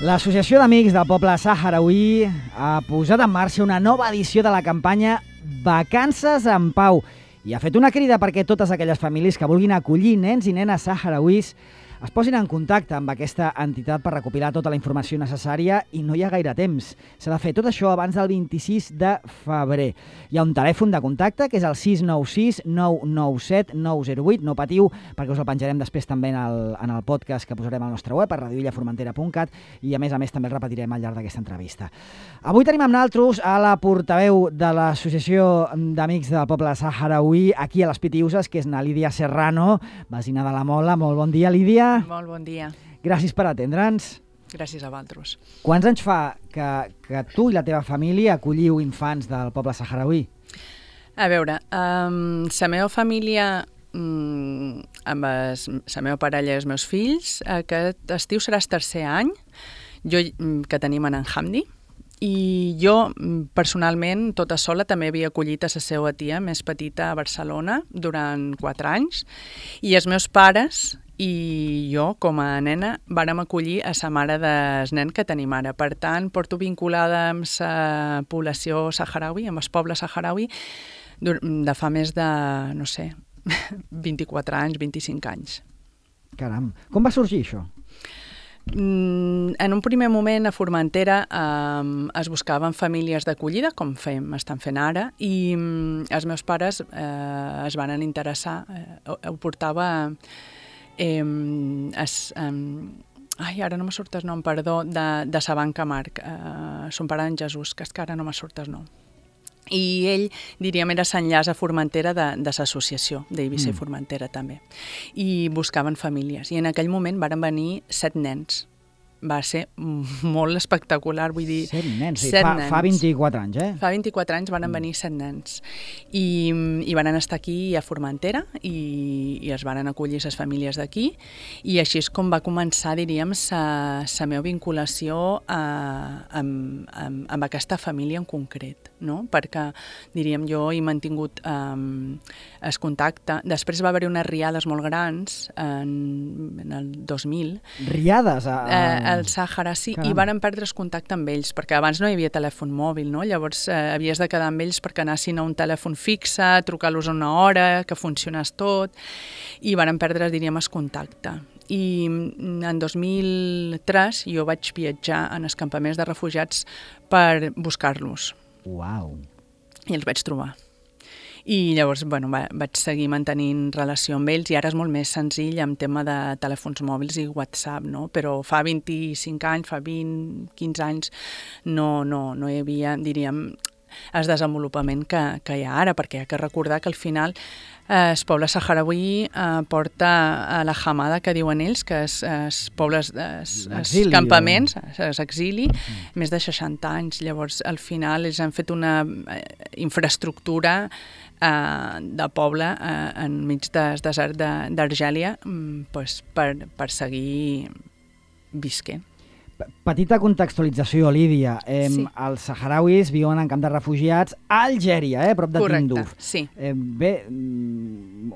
L'Associació d'Amics del Poble Sahrauí ha posat en marxa una nova edició de la campanya Vacances en Pau i ha fet una crida perquè totes aquelles famílies que vulguin acollir nens i nenes sahrauís es posin en contacte amb aquesta entitat per recopilar tota la informació necessària i no hi ha gaire temps. S'ha de fer tot això abans del 26 de febrer. Hi ha un telèfon de contacte que és el 696 997 908. No patiu, perquè us el penjarem després també en el podcast que posarem al nostre web, a radioillaformentera.cat, i a més també el repetirem al llarg d'aquesta entrevista. Avui tenim amb nosaltres a la portaveu de l'Associació d'Amics del Poble Sahrauí aquí a les Pitiuses, que és na Lídia Serrano, vecina de la Mola. Molt bon dia, Lídia. Molt bon dia. Gràcies per atendre'ns. Gràcies a vosaltres. Quants anys fa que tu i la teva família acolliu infants del poble sahrauí? A veure, la meva família, amb la meva parella i els meus fills, aquest estiu serà el tercer any que tenim en Hamdi, i jo, personalment, tota sola, també havia acollit a la seva tia més petita a Barcelona durant 4 anys, i els meus pares i jo, com a nena, vàrem acollir a la mare del nen que tenim ara. Per tant, porto vinculada amb la població sahrauí, amb el poble sahrauí, de fa més de, no sé, 24 anys, 25 anys. Caram, com va sorgir això? En un primer moment a Formentera es buscaven famílies d'acollida, com estan fent ara, i els meus pares es van interessar, ho portava... ara no me surt el nom, perdó, de sa banca Marc, son pare en Jesús, que és que ara no me surt el nom. I ell, diríem, era l'enllaç a Formentera de l'associació d'Eivissa i Formentera també. I buscaven famílies. I en aquell moment varen venir 7 nens. Va ser molt espectacular, vull dir... 7 nens, sí, fa 24 anys, eh? Fa 24 anys van venir 7 nens i van estar aquí a Formentera i es van acollir les famílies d'aquí, i així és com va començar, diríem, la meva vinculació amb aquesta família en concret, no? Perquè, diríem, jo he mantingut el contacte. Després va haver-hi unes riades molt grans en el 2000. Riades? Al Sàhara, sí, i van perdre el contacte amb ells, perquè abans no hi havia telèfon mòbil, no? Llavors havies de quedar amb ells perquè anessin a un telèfon fixe, trucar-los una hora, que funcionés tot, i van perdre, diríem, el contacte. I en 2003 jo vaig viatjar en els campaments de refugiats per buscar-los. Uau! I els vaig trobar. I llavors, bueno, vaig seguir mantenint relació amb ells, i ara és molt més senzill amb tema de telèfons mòbils i WhatsApp, no? Però fa 25 anys, fa 20, 15 anys, no hi havia, diríem, el desenvolupament que hi ha ara, perquè hi ha que recordar que al final el poble sahrauí porta a la hamada, que diuen ells, que els pobles, els campaments, l'exili, més de 60 anys. Llavors, al final, ells han fet una infraestructura de poble enmig del desert d'Argèlia per seguir visquent. Petita contextualització, Lídia. Sí. Els sahrauís viuen en camp de refugiats a Algèria, prop de Tinduf. Correcte, sí. Bé,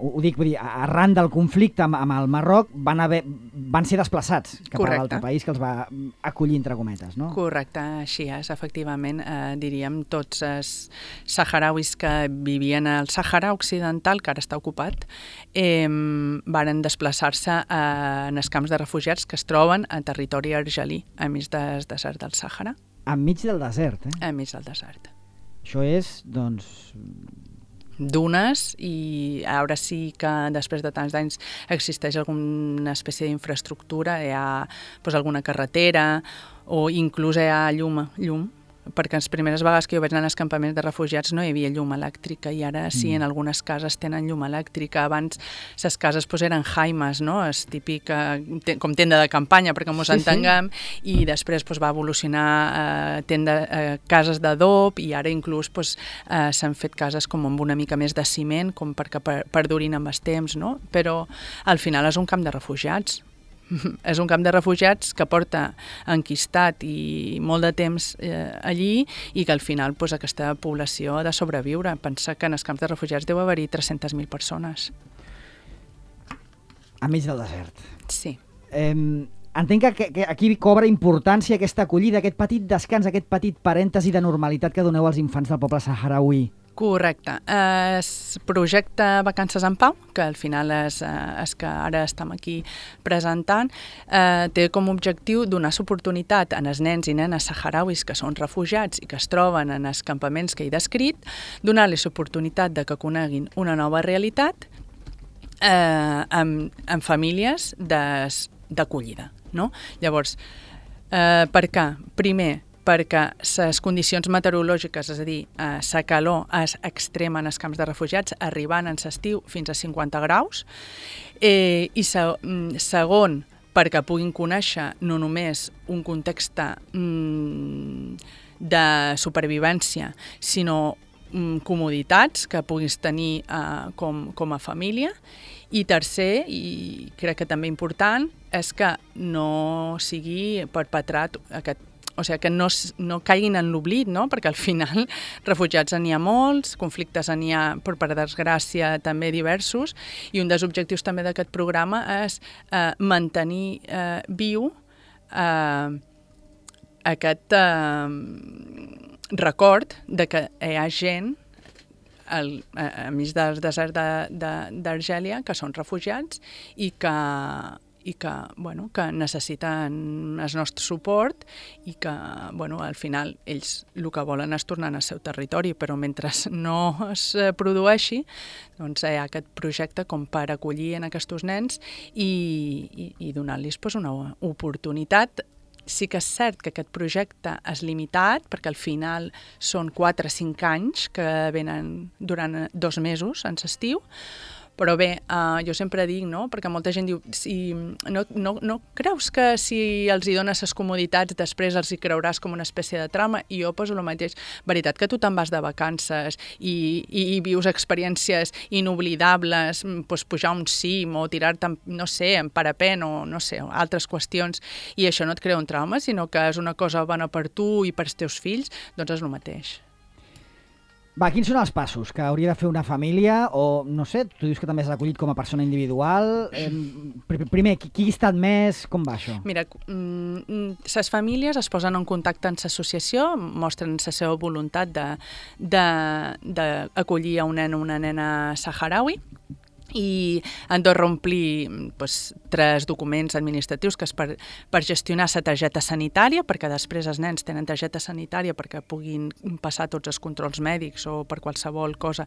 ho dic, vull dir, arran del conflicte amb el Marroc van ser desplaçats cap a l'altre país que els va acollir, entre cometes, no? Correcte, així és, efectivament. Diríem, tots els sahrauís que vivien al Sàhara Occidental, que ara està ocupat, varen desplaçar-se en els camps de refugiats que es troben a territori argelí, enmig del desert del Sàhara. Enmig del desert, Enmig del desert. Això és, doncs... dunes, i ara sí que després de tants anys existeix alguna espècie d'infraestructura, hi ha alguna carretera o inclús hi ha llum, perquè les primeres vegades que jo vaig anar als campaments de refugiats no hi havia llum elèctrica, i ara sí, en algunes cases tenen llum elèctrica. Abans les cases eren jaimes, no? És típic com tenda de campanya, perquè ens entenguem, i després va evolucionar a cases d'adob, i ara inclús s'han fet cases com amb una mica més de ciment, com perquè perdurin amb el temps, no? Però al final és un camp de refugiats. És un camp de refugiats que porta enquistat i molt de temps allí, i que al final aquesta població ha de sobreviure. Pensa que en els camps de refugiats deu haver-hi 300.000 persones. Enmig del desert. Sí. entenc que aquí cobra importància aquesta acollida, aquest petit descans, aquest petit parèntesi de normalitat que doneu als infants del poble saharauí. Correcte. Es projecte Vacances en Pau, que al final és que ara estem aquí presentant, té com a objectiu donar oportunitat a els nens i nenes saharauis que són refugiats i que es troben en els campaments que he descrit, donar-los l'oportunitat de que coneguin una nova realitat amb famílies d'acollida. No? Llavors, per què? Primer, perquè les condicions meteorològiques, és a dir, la calor és extrema en els camps de refugiats, arribant en l'estiu fins a 50 graus, i segon, perquè puguin conèixer no només un context de supervivència, sinó comoditats que puguis tenir com a família. I tercer, i crec que també important, és que no sigui perpetrat o sigui, que no caiguin en l'oblit, no? Perquè al final refugiats n'hi ha molts, conflictes n'hi ha, per desgràcia, també diversos, i un dels objectius també d'aquest programa és mantenir viu aquest record de que hi ha gent enmig del desert d'Argèlia que són refugiats i que necessiten el nostre suport i que al final ells el que volen és tornar al seu territori, però mentre no es produeixi doncs hi ha aquest projecte com per acollir en aquests nens i donar-los una oportunitat. Sí que és cert que aquest projecte és limitat, perquè al final són 4 o 5 anys que venen durant 2 mesos en l'estiu, però bé, jo sempre dic, no? Perquè molta gent diu, no creus que si els hi dones les comoditats després els hi creuràs com una espècie de trama? I jo poso el mateix. Veritat que tu te'n vas de vacances i vius experiències inoblidables, doncs pujar un cim o tirar-te, no sé, en parapent o no sé, altres qüestions, i això no et crea un trauma, sinó que és una cosa bona per tu i pels teus fills, doncs és el mateix. Va, quins són els passos que hauria de fer una família o, no sé, tu dius que també has acollit com a persona individual. Primer, qui ha estat més? Com va això? Mira, les famílies es posen en contacte amb l'associació, mostren la seva voluntat d'acollir a un nen o una nena saharaui, i han de reomplir 3 documents administratius que és per gestionar la targeta sanitària, perquè després els nens tenen targeta sanitària perquè puguin passar tots els controls mèdics o per qualsevol cosa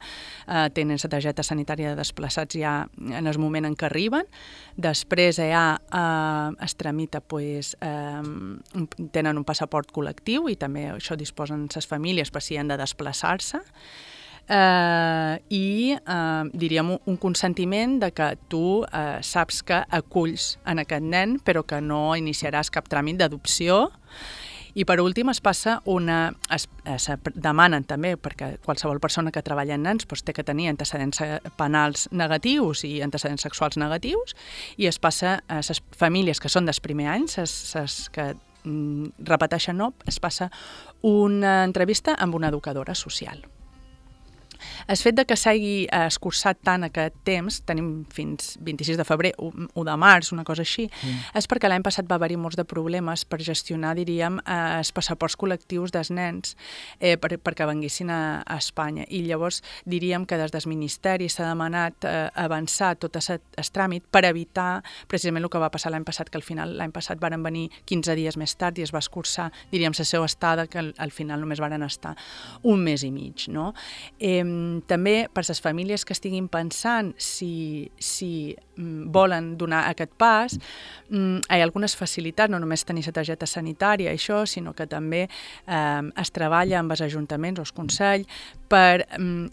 tenen la targeta sanitària de desplaçats ja en el moment en què arriben. Després es tramita, tenen un passaport col·lectiu i també això disposen les famílies per si han de desplaçar-se. I diríem un consentiment de que tu saps que aculls en aquest nen però que no iniciaràs cap tràmit d'adopció. I per últim es demanen també, perquè qualsevol persona que treballa en nens té que tenir antecedents penals negatius i antecedents sexuals negatius, i es passa a les famílies que són dels primers anys, les que repeteixen no, es passa una entrevista amb una educadora social. El fet que s'hagi escurçat tant aquest temps, tenim fins 26 de febrer, 1 de març, una cosa així, és perquè l'any passat va haver-hi molts de problemes per gestionar, diríem, els passaports col·lectius dels nens perquè venguessin a Espanya. I llavors diríem que des del Ministeri s'ha demanat avançar tot el tràmit per evitar precisament el que va passar l'any passat, que al final l'any passat varen venir 15 dies més tard i es va escurçar, diríem, la seva estada, que al final només varen estar 1 mes i mig, no? També per les famílies que estiguin pensant si volen donar aquest pas, hi ha algunes facilitats, no només tenir la targeta sanitària, això, sinó que també es treballa amb els ajuntaments o els consells per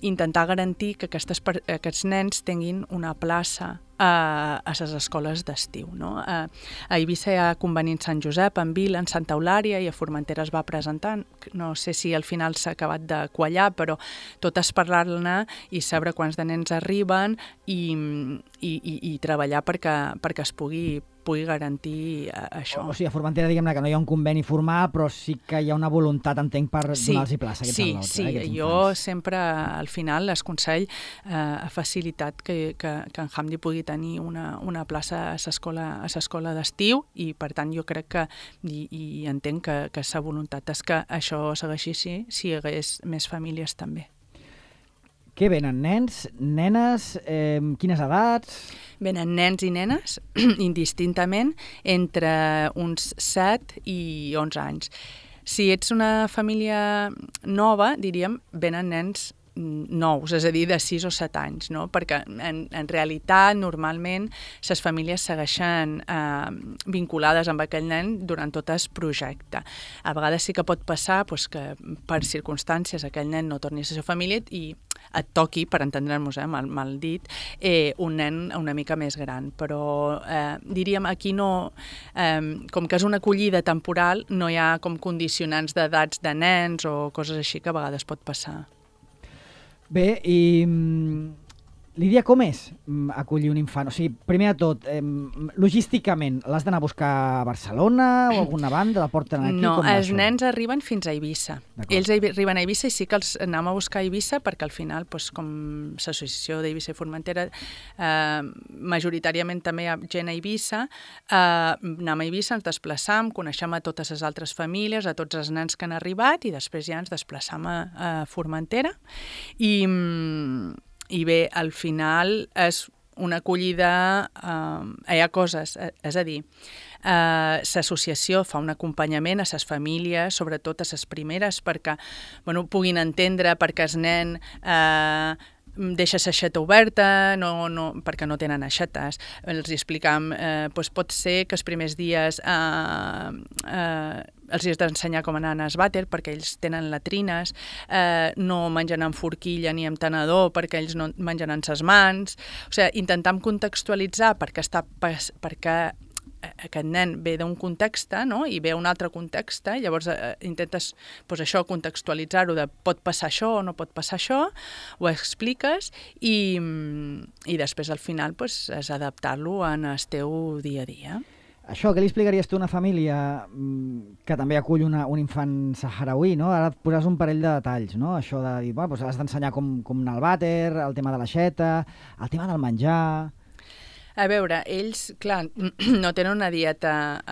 intentar garantir que aquests nens tinguin una plaça a les escoles d'estiu. No? A Eivissa hi ha conveni en Sant Josep, en Vila, en Santa Eulària, i a Formentera es va presentant. No sé si al final s'ha acabat de quallar, però tot és parlar-ne i saber quants de nens arriben i treballar perquè es pugui pugui garantir això. O sigui, a Formentera, diguem-ne que no hi ha un conveni formal, però sí que hi ha una voluntat, entenc, per donar-los plaça a aquests al·lots. Sí, jo sempre, al final, l'esconsell ha facilitat que en Hamdi pugui tenir una plaça a l'escola d'estiu i, per tant, jo crec que, i entenc que sa voluntat és que això segueixi així, si hi hagués més famílies també. Què venen, nens, nenes, quines edats? Venen nens i nenes, indistintament, entre uns 7 i 11 anys. Si ets una família nova, diríem, venen nens nous, és a dir, de 6 o 7 anys, no? Perquè en realitat, normalment, les famílies segueixen vinculades amb aquell nen durant tot el projecte. A vegades sí que pot passar que per circumstàncies aquell nen no torni a la seva família i et toqui, per entendre'ns, mal dit, un nen una mica més gran. Però diríem, aquí no, com que és una acollida temporal, no hi ha com condicionants d'edats de nens o coses així que a vegades pot passar. Bé, i Lídia, com és acollir un infant? O sigui, primer de tot, logísticament, l'has d'anar a buscar a Barcelona o a alguna banda? La porten aquí? No, els nens arriben fins a Eivissa. Ells arriben a Eivissa i sí que els anem a buscar a Eivissa perquè al final, com l'associació d'Eivissa i Formentera, majoritàriament també hi ha gent a Eivissa, anem a Eivissa, ens desplaçam, coneixem a totes les altres famílies, a tots els nens que han arribat i després ja ens desplaçam a Formentera i bé, al final és una acollida, hi ha coses, és a dir, l'associació fa un acompanyament a les famílies, sobretot a les primeres, perquè puguin entendre perquè el nen deixa l'aixeta oberta, perquè no tenen aixetes. Els explicam, pot ser que els primers dies els has d'ensenyar com anar al vàter perquè ells tenen latrines, no mengen amb forquilla ni amb tenedor perquè ells no mengen amb les mans. O sigui, intentam contextualitzar perquè aquest nen ve d'un context, no? I ve un altre context, llavors intentes contextualitzar-ho de pot passar això o no pot passar això, ho expliques i després al final és adaptar-lo en el teu dia a dia. Això, què li explicaries tu a una família que també acull un infant saharauí, no? Ara et posaràs un parell de detalls, no? Això de dir, has d'ensenyar com anar al vàter, el tema de l'aixeta, el tema del menjar... A veure, ells, clar, no tenen una dieta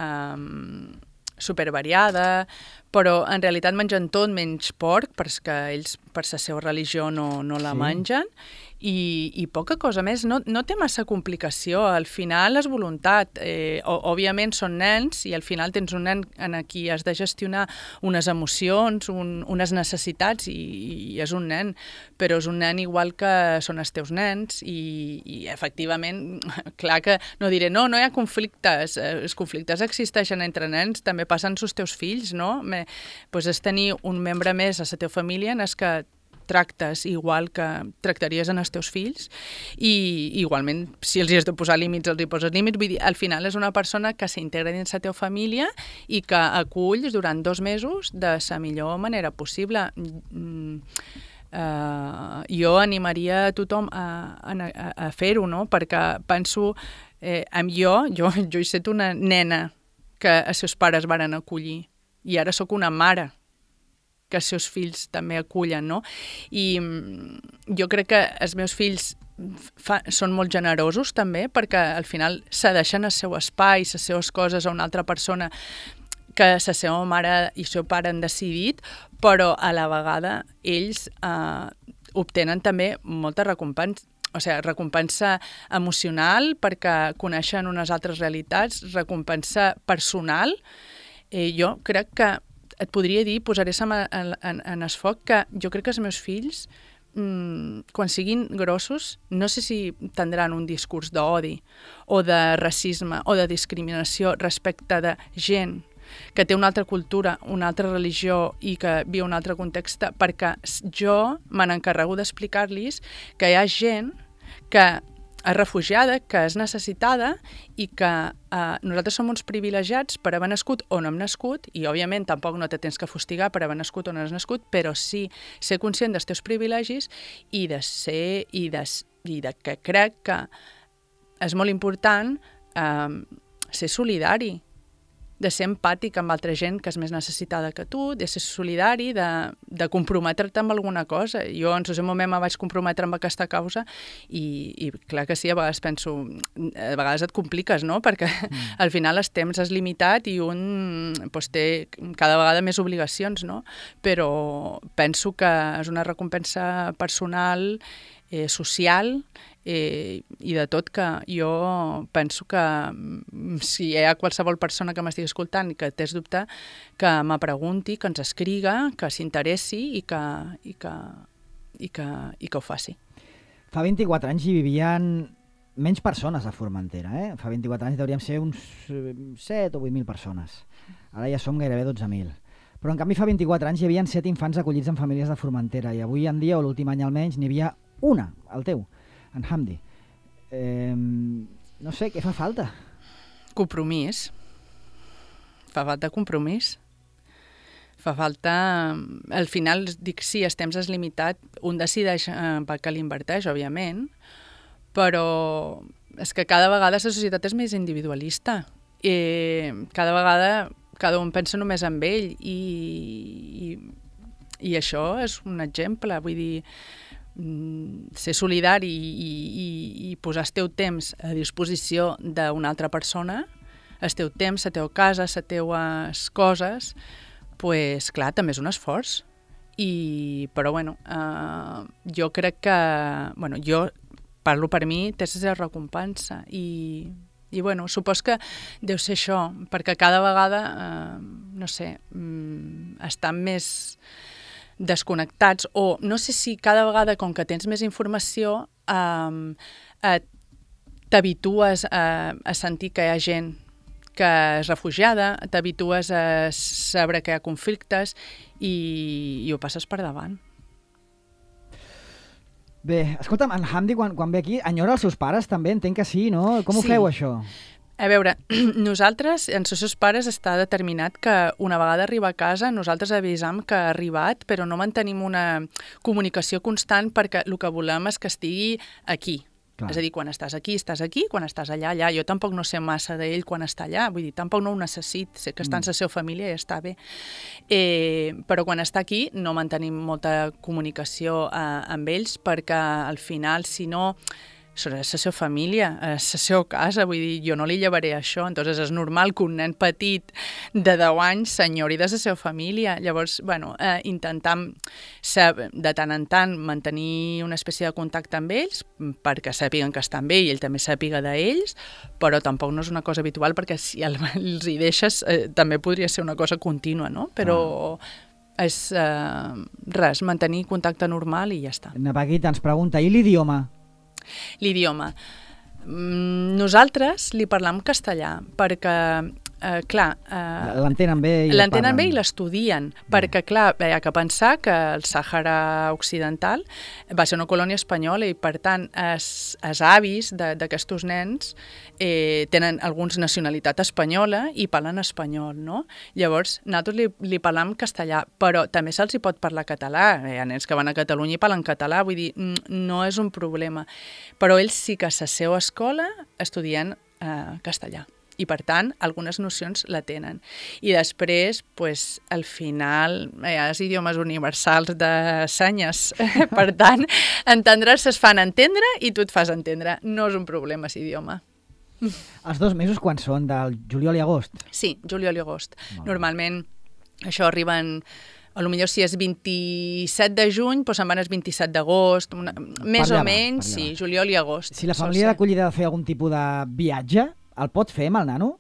supervariada, però en realitat mengen tot menys porc, perquè ells per la seva religió no la mengen, i poca cosa més. No té massa complicació, al final és voluntat. Òbviament són nens i al final tens un nen en qui has de gestionar unes emocions, unes necessitats i és un nen, però és un nen igual que són els teus nens i efectivament, clar que no diré no hi ha conflictes, els conflictes existeixen entre nens, també passen als teus fills, no? És tenir un membre més a la teva família en el que tractes igual que tractaries en els teus fills i igualment si els hi has de posar límits, els hi poses límits. Vull dir, al final és una persona que s'integra dins la teva família i que aculls durant 2 mesos de la millor manera possible. Jo animaria a tothom a fer-ho, no? Perquè penso, jo he estat una nena que els seus pares varen acollir i ara sóc una mare que els seus fills també acullen, no? I jo crec que els meus fills són molt generosos també perquè al final cedeixen el seu espai, les seves coses a una altra persona que la seva mare i el seu pare han decidit, però a la vegada ells obtenen també molta recompensa. O sigui, recompensa emocional perquè coneixen unes altres realitats, recompensa personal. Jo crec que et podria dir, posaré en el foc, que jo crec que els meus fills, quan siguin grossos, no sé si tindran un discurs d'odi o de racisme o de discriminació respecte de gent que té una altra cultura, una altra religió i que viu un altre context, perquè jo me n'encarrego d'explicar-los que hi ha gent que és refugiada, que és necessitada i que nosaltres som uns privilegiats per haver nascut on hem nascut i, òbviament, tampoc no te tens que fustigar per haver nascut on has nascut, però sí ser conscient dels teus privilegis i de que crec que és molt important ser solidari, de ser empàtic amb altra gent que és més necessitada que tu, de ser solidari, de comprometre't amb alguna cosa. Jo en el seu moment me vaig comprometre amb aquesta causa i clar que sí, a vegades penso, a vegades et compliques, no? Perquè al final el temps és limitat i un doncs, té cada vegada més obligacions, no? Però penso que és una recompensa personal, social, i de tot, que jo penso que si hi ha qualsevol persona que m'estigui escoltant i que tens dubte, que me pregunti, que ens escriga, que s'interessi i que ho faci. Fa 24 anys hi vivien menys persones a Formentera. Fa 24 anys hauríem ser uns 7 o 8.000 persones. Ara ja som gairebé 12.000. Però en canvi fa 24 anys hi havia 7 infants acollits en famílies de Formentera i avui en dia, o l'últim any almenys, n'hi havia una, el teu, en Hamdi. No sé, què fa falta? Compromís. Fa falta compromís. Fa falta... Al final, dic, sí, el temps és limitat. Un decideix pel que l'inverteix, òbviament, però és que cada vegada la societat és més individualista. Cada vegada cada un pensa només en ell i això és un exemple. Vull dir, ser solidari i posar el teu temps a disposició d'una altra persona, el teu temps, la teva casa, les teues coses, pues, clar, també és un esforç. Però, jo crec que... jo parlo per mi, té la seva recompensa i supos que deu ser això, perquè cada vegada, no sé, estan més desconnectats, o no sé si cada vegada, com que tens més informació, t'habitues a sentir que hi ha gent que és refugiada, t'habitues a saber que hi ha conflictes i ho passes per davant. Bé, escolta'm, en Hamdi, quan ve aquí, enyora els seus pares també? Entenc que sí, no? Com ho feu, això? A veure, nosaltres, en els seus pares està determinat que una vegada arriba a casa nosaltres avisam que ha arribat, però no mantenim una comunicació constant perquè el que volem és que estigui aquí. Clar. És a dir, quan estàs aquí, quan estàs allà, allà. Jo tampoc no sé massa d'ell quan està allà, vull dir, tampoc no ho necessit, sé que està en la seva família i està bé. Però quan està aquí no mantenim molta comunicació amb ells perquè al final, si no... és la seva família, és la seva casa, vull dir, jo no li llevaré això, entonces és normal que un nen petit de 10 anys s'enyori de la seva família. Llavors, intentam de tant en tant mantenir una espècie de contacte amb ells perquè sàpiguen que estan bé i ell també sàpiga d'ells, però tampoc no és una cosa habitual perquè si els hi deixes també podria ser una cosa contínua, no? Però... és res, mantenir contacte normal i ja està. Paquita ens pregunta, i l'idioma? L'idioma. Nosaltres li parlam castellà perquè, clar... l'entenen bé i l'entenen bé i l'estudien, perquè, clar, hi ha que pensar que el Sàhara Occidental va ser una colònia espanyola i, per tant, els avis d'aquests nens tenen alguns nacionalitat espanyola i parlen espanyol, no? Llavors, nosaltres li parlam castellà, però també se'ls hi pot parlar català. Hi ha nens que van a Catalunya i parlen català, vull dir, no és un problema. Però ells sí que a la seva escola estudien castellà. I, per tant, algunes nocions la tenen. I després, pues, al final, hi ha els idiomes universals de senyes. Per tant, entendre's es fan entendre i tu et fas entendre. No és un problema, aquest idioma. Els 2 mesos quan són? Del juliol i agost? Sí, juliol i agost. Normalment, això arriben... Potser si és 27 de juny, doncs se'n van els 27 d'agost, més o menys, sí, juliol i agost. Si la família d'acollida ha de fer algun tipus de viatge, el pot fer amb el nano?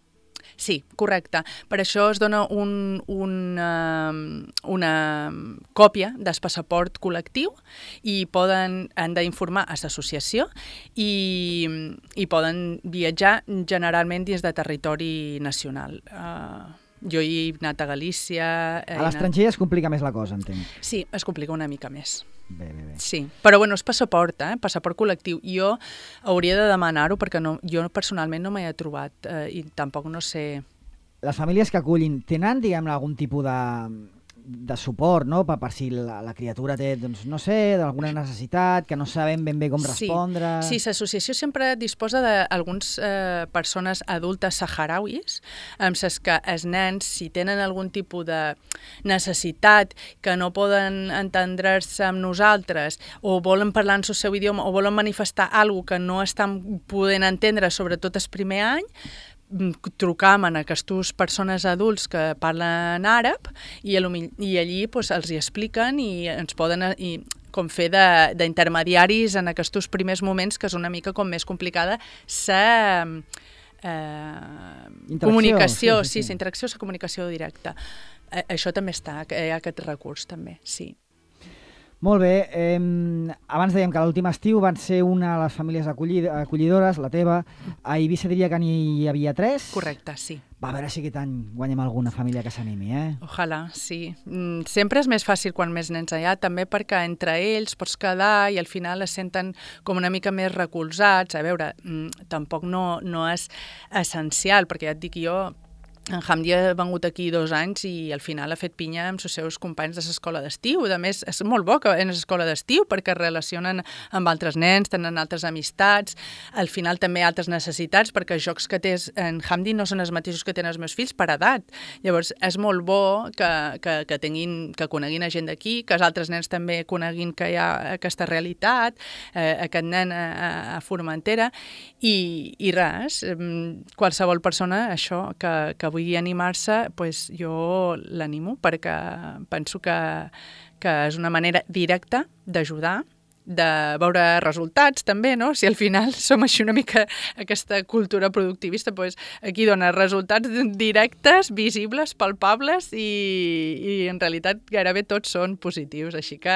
Sí, correcte. Per això es dona una còpia del passaport col·lectiu i han d'informar a l'associació i poden viatjar generalment dins de territori nacional. Jo he anat a Galícia... A l'estranger es complica més la cosa, entenc. Sí, es complica una mica més. Bé. Sí, però és passaport, passaport col·lectiu. Jo hauria de demanar-ho perquè jo personalment no m'hi he trobat i tampoc no sé... Les famílies que acullin tenen, diguem-ne, algun tipus de suport, no? Per si la criatura té, doncs, no sé, d'alguna necessitat, que no sabem ben bé com respondre... Sí, l'associació sempre disposa d'algunes persones adultes saharauis, amb les que els nens, si tenen algun tipus de necessitat que no poden entendre-se amb nosaltres, o volen parlar en el seu idioma, o volen manifestar alguna que no estan podent entendre, sobretot el primer any, trucam a aquestes persones adults que parlen àrab i allí doncs, els hi expliquen i ens poden com fer d'intermediaris en aquests primers moments, que és una mica com més complicada la comunicació, sí, la interacció, la comunicació directa. Això també està, hi ha aquest recurs també, sí. Molt bé, abans dèiem que l'últim estiu van ser una de les famílies acollidores, la teva. A Eivissa diria que n'hi havia 3. Correcte, sí. Va, a veure si aquest any guanyem alguna família que s'animi, Ojalà, sí. Sempre és més fàcil quan més nens hi ha, també perquè entre ells pots quedar i al final es senten com una mica més recolzats. A veure, tampoc no és essencial, perquè ja et dic jo, en Hamdi ha vengut aquí 2 anys i al final ha fet pinya amb els seus companys de l'escola d'estiu. A més, és molt bo que en l'escola d'estiu perquè es relacionen amb altres nens, tenen altres amistats, al final també altres necessitats, perquè els jocs que té en Hamdi no són els mateixos que tenen els meus fills per edat. Llavors, és molt bo que coneguin a gent d'aquí, que els altres nens també coneguin que hi ha aquesta realitat, aquest nen a Formentera, i res, qualsevol persona, això, que vulgui animar-se, doncs jo l'animo perquè penso que és una manera directa d'ajudar, de veure resultats també, no? Si al final som així una mica aquesta cultura productivista, doncs aquí dona resultats directes, visibles, palpables i en realitat gairebé tots són positius, així que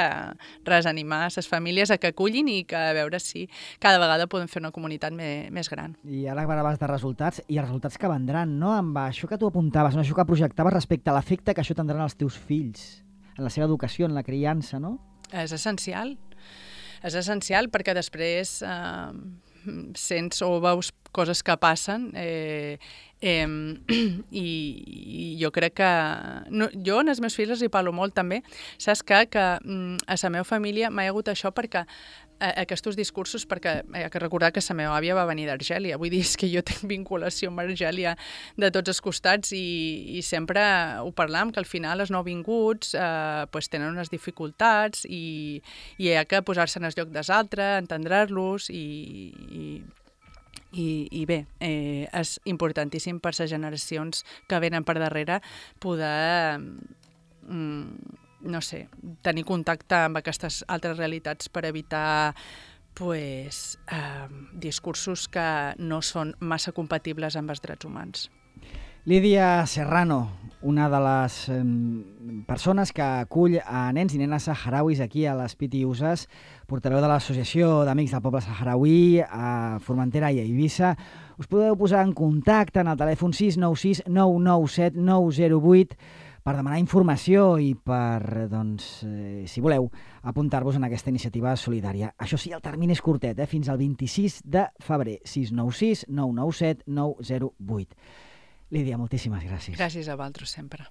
res, animar les famílies a que acullin i que a veure si cada vegada podem fer una comunitat més gran. I ara parlaves de resultats i els resultats que vendran, no? Amb això que tu apuntaves, això que projectaves respecte a l'efecte que això tindran els teus fills en la seva educació, en la criança, no? És essencial. És essencial perquè després sents o veus coses que passen i jo crec que... Jo en els meus fills els hi parlo molt també. Saps que a la meva família m'ha hagut això perquè aquests discursos, perquè he de recordar que la meva àvia va venir d'Argèlia. Vull dir, és que jo tinc vinculació amb Argèlia de tots els costats i sempre ho parlam, que al final els nouvinguts tenen unes dificultats i hi ha que posar-se en el lloc dels altres, entendre-los i bé, és importantíssim per les generacions que venen per darrere poder... no sé, tenir contacte amb aquestes altres realitats per evitar discursos que no són massa compatibles amb els drets humans. Lídia Serrano, una de les persones que acull a nens i nenes saharauis aquí a les Piti Usas, portaveu de l'Associació d'Amics del Poble Saharauí a Formentera i a Eivissa. Us podeu posar en contacte en el telèfon 696 997 908 per demanar informació i per, doncs, si voleu, apuntar-vos en aquesta iniciativa solidària. Això sí, el termini és curtet, fins al 26 de febrer, 696 997 908. Lídia, moltíssimes gràcies. Gràcies a vosaltres sempre.